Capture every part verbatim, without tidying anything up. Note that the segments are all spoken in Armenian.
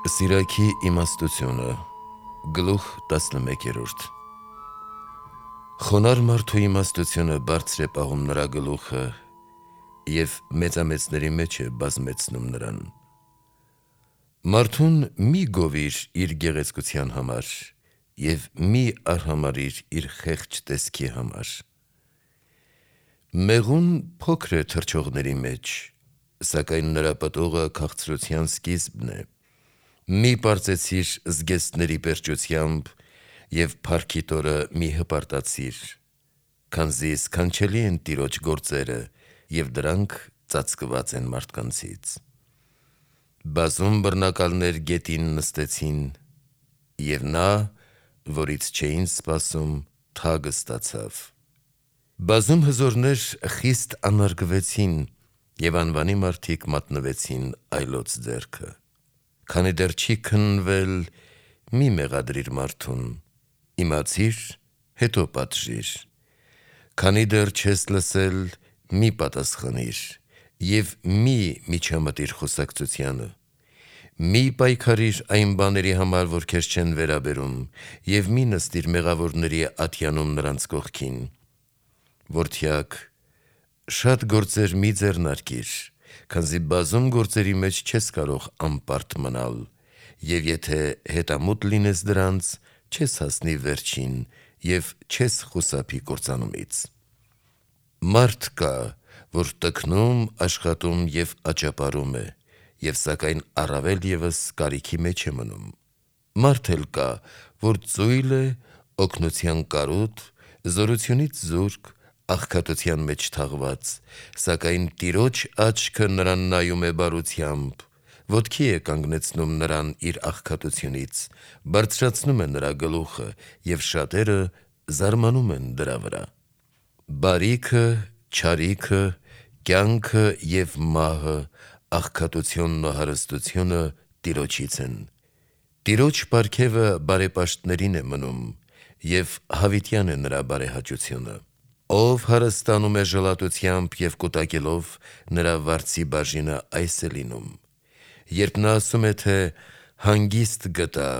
Սիրակի իմաստությունը գլուխ տասնմեկերորդ Խոնար մարդու իմաստությունը բարձր է պահում նրա գլուխը և մեծամեծների մեջ է բազմեցնում նրան։ Մարդուն մի գովիր իր գեղեցկության համար և մի արհամարհիր իր խեղճ տեսքի համար։ Մեղուն փոքր է թռչողների մեջ, սակայն նրա պտուղը քաղցրության սկիզբն է։ Մի պարծեցիր զգեստների պերճությամբ և փառքիդ օրը մի հպարտացիր, քանզի սքանչելի են Տիրոջ գործերը և դրանք ծածկված են մարդկանցից։ Բազում բռնակալներ գետին նստեցին, և նա, որից չէին սպասում, թագը ստացավ։ Բազում հզորներ խիստ անարգվեցին, և անվանի մարդիկ մատնվեցին այլոց ձեռքը։ Քանի դեռ չի քննվել, մի մեղադրիր մարդուն, իմացիր, հետո պատժիր։ Քանի դեռ չես լսել, մի պատասխանիր և մի միջամտիր խոսակցությանը։ Մի պայքարիր այն բաների համար, որ քեզ չեն վերաբերում, և մի նստիր մեղավորների ատյանում նրանց կողքին։ Որդյակ, շատ գործեր մի ձեռնարկիր, քանզի բազում գործերի մեջ չես կարող անպարտ մնալ, և եթե հետամուտ լինես դրանց, չես հասնի վերջին և չես խուսափի կործանումից։ Մարդ կա, որ տքնում, աշխատում և աճապարում է, և սակայն առավել ևս կարիքի մեջ է մնում։ Մարդ էլ կա, որ ծույլ է, օգնության կարոտ, զորությունից զուրկ, աղքատության մեջ թաղված, սակայն Տիրոջ աչքը նրան նայում է բարությամբ, ոտքի է կանգնեցնում նրան իր աղքատությունից, բարձրացնում է նրա գլուխը, և շատերը զարմանում են դրա վրա։ Բարիքը, չարիքը, կյանքը և մահը, աղքատությունն ու հարստությունը Տիրոջից են։ Տիրոջ պարգևը բարեպաշտներին է մնում, և հավիտյան է նրա բարեհաճությունը։ Ով հարստանում է ժլատությամբ և կուտակելով, նրա վարձի բաժինը այս է լինում։ Երբ նա ասում է, թե հանգիստ գտա,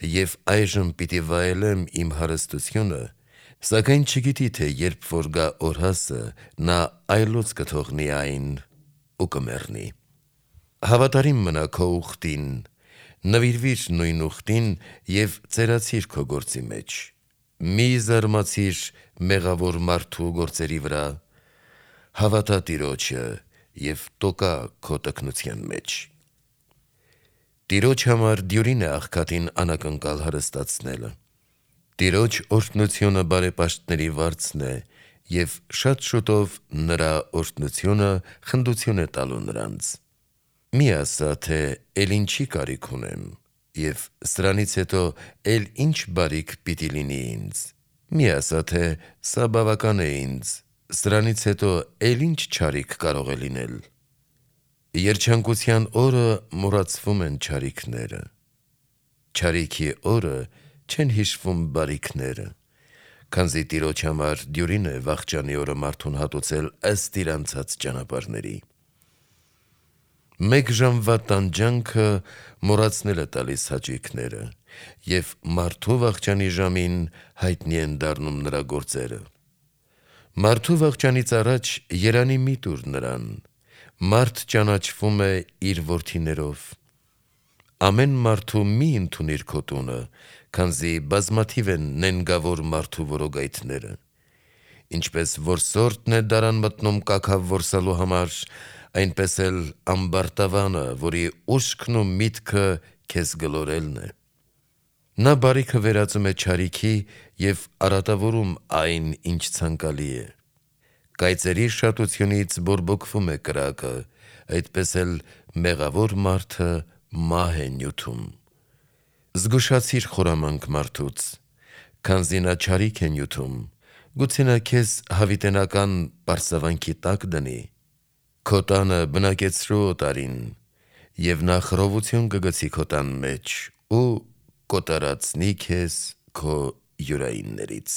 և այժմ պիտի վայելեմ իմ հարստությունը, սակայն չգիտի, թե երբ որ գա օրհասը, նա այլոց կթողնի այն ու կմեռնի։ Հավատարիմ մնա քո ուխտին, նվիրվիր նույն ուխտին և ծերացիր քո գործի մեջ։ Մի զարմացիր մեղավոր մարդու գործերի վրա, հավատա Տիրոջը և տոկա քո տքնության մեջ։ Տիրոջ համար դյուրին է աղքատին անակնկալ հարստացնելը։ Տիրոջ օրհնությունը բարեպաշտների վարձն է, և շատ շուտով նրա օրհնությունը խնդություն է տալու նրանց։ Մի ասա, թե էլ ինչի կարիք ունեմ, և սրանից հետո էլ ինչ բարիք պիտի լինի ինձ։ Մի ասա, թե սա բավական է ինձ, սրանից հետո էլ ինչ չարիք կարող է լինել։ Երջանկության օրը մոռացվում են չարիքները, չարիքի օրը չեն հիշվում բարիքները, քանզի Տիրոջ համար դյուրին է վախճանի օրը մարդուն հատուցել ըստ իր անցած ճանապարհների։ Մեկ ժամվա տանջանքը մոռացնել է տալիս հաճույքները, և մարդու վախճանի ժամին հայտնի են դառնում նրա գործերը։ Մարդու վախճանից առաջ երանի մի տուր նրան, մարդ ճանաչվում է իր որդիներով։ Ամեն մարդու մի ընդունիր քո տունը, քանզի բազմաթիվ են նենգավոր մարդու որոգայթները։ Ինչպես որսորդն է դարան մտնում կաքավ որսալու համար, այնպես էլ ամբարտավանը, որի ուշքն ու միտքը քեզ գլորելն է։ Նա բարիքը վերածում է չարիքի և արատավորում այն, ինչ ցանկալի է։ Կայծերի շատությունից բորբոքվում է կրակը, այդպես էլ մեղավոր մարդը մահ է նյութում։ Զգուշացիր խորամանկ մարդուց, քանզի նա չարիք է նյութում, գուցե նա քեզ հավիտենական պարսավանքի տակ դնի։ Քո տանը բնակեցրու օտարին, և նա խռովություն կգցի քո տան մեջ ու կոտորածնի քեզ քո յուրայիններից։